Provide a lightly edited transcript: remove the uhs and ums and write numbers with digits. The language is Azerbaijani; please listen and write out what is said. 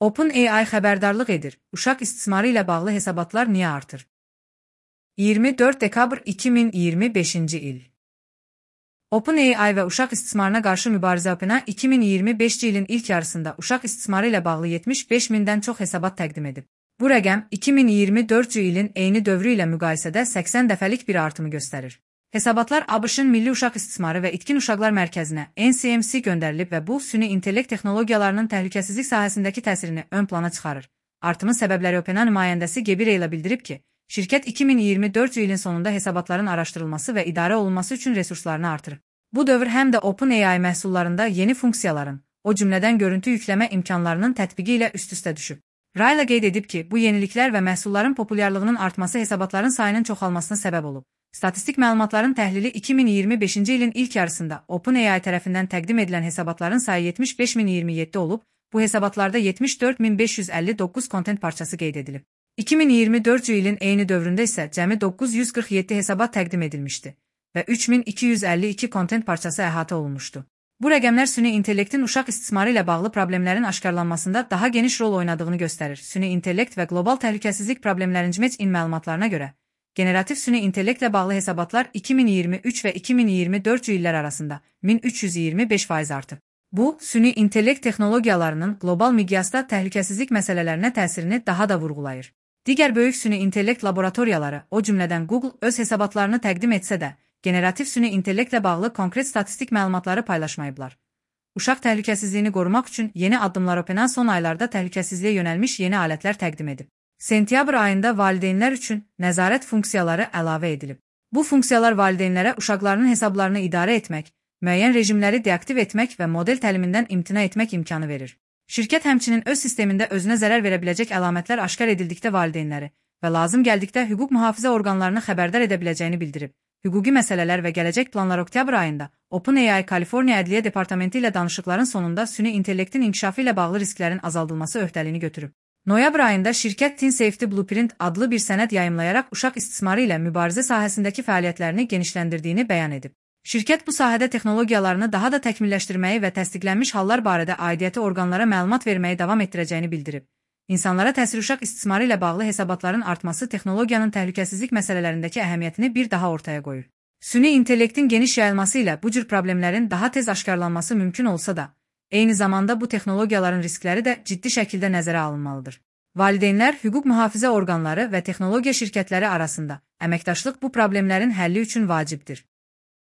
OpenAI xəbərdarlıq edir. Uşaq istismarı ilə bağlı hesabatlar niyə artır? 24 dekabr 2025-ci il. OpenAI və uşaq istismarına qarşı mübarizə OpenAI 2025-ci ilin ilk yarısında uşaq istismarı ilə bağlı 75 mindən çox hesabat təqdim edib. Bu rəqəm 2024-cü ilin eyni dövrü ilə müqayisədə 80 dəfəlik bir artımı göstərir. Hesabatlar ABŞ-ın Milli Uşaq İstismarı və İtkin Uşaqlar Mərkəzinə NCMC göndərilib və bu, süni intellekt texnologiyalarının təhlükəsizlik sahəsindəki təsirini ön plana çıxarır. Artımın səbəbləri OpenAI nümayəndəsi Gaby Raylə bildirib ki, şirkət 2024-cü ilin sonunda hesabatların araşdırılması və idarə olunması üçün resurslarını artırır. Bu dövr həm də OpenAI məhsullarında yeni funksiyaların, o cümlədən görüntü yükləmə imkanlarının tətbiqi ilə üst-üstə düşüb. Raylə qeyd edib ki, bu yeniliklər və məhsulların populyarlığının artması hesabatların sayının çoxalmasına səbəb olub. Statistik məlumatların təhlili 2025-ci ilin ilk yarısında OpenAI tərəfindən təqdim edilən hesabatların sayı 75027 olub, bu hesabatlarda 74559 kontent parçası qeyd edilib. 2024-cü ilin eyni dövründə isə cəmi 947 hesabat təqdim edilmişdi və 3252 kontent parçası əhatə olunmuşdu. Bu rəqəmlər süni intellektin uşaq istismarı ilə bağlı problemlərin aşkarlanmasında daha geniş rol oynadığını göstərir. Süni intellekt və qlobal təhlükəsizlik problemlərinin CMEC-in məlumatlarına görə, generativ süni intellektlə bağlı hesabatlar 2023 və 2024-cü illər arasında 1325% artıb. Bu, süni intellekt texnologiyalarının qlobal miqyasda təhlükəsizlik məsələlərinə təsirini daha da vurğulayır. Digər böyük süni intellekt laboratoriyaları, o cümlədən Google, öz hesabatlarını təqdim etsə də, generativ süni intellektlə bağlı konkret statistik məlumatları paylaşmayıblar. Uşaq təhlükəsizliyini qorumaq üçün yeni addımlar OpenAI son aylarda təhlükəsizliyə yönəlmiş yeni alətlər təqdim edib. Sentyabr ayında valideynlər üçün nəzarət funksiyaları əlavə edilib. Bu funksiyalar valideynlərə uşaqlarının hesablarını idarə etmək, müəyyən rejimləri deaktiv etmək və model təlimindən imtina etmək imkanı verir. Şirkət həmçinin öz sistemində özünə zərər verə biləcək əlamətlər aşkar edildikdə valideynləri və lazım gəldikdə hüquq mühafizə orqanlarını xəbərdar edə biləcəyini bildirib. Hüquqi məsələlər və gələcək planlar oktyabr ayında OpenAI Kaliforniya Ədliyyə Departamenti ilə danışıqların sonunda süni intellektin inkişafı ilə bağlı risklərin azaldılması öhdəliyini götürüb. Noyabr ayında şirkət Teen Safety Blueprint adlı bir sənəd yayımlayaraq uşaq istismarı ilə mübarizə sahəsindəki fəaliyyətlərini genişləndirdiyini bəyan edib. Şirkət bu sahədə texnologiyalarını daha da təkmilləşdirməyi və təsdiqlənmiş hallar barədə aidiyyəti orqanlara məlumat verməyi davam etdirəcəyini bildirib. İnsanlara təsir uşaq istismarı ilə bağlı hesabatların artması texnologiyanın təhlükəsizlik məsələlərindəki əhəmiyyətini bir daha ortaya qoyur. Süni intellektin geniş yayılması ilə bu cür problemlərin daha tez aşkarlanması mümkün olsa da, eyni zamanda bu texnologiyaların riskləri də ciddi şəkildə nəzərə alınmalıdır. Valideynlər, hüquq mühafizə orqanları və texnologiya şirkətləri arasında əməkdaşlıq bu problemlərin həlli üçün vacibdir.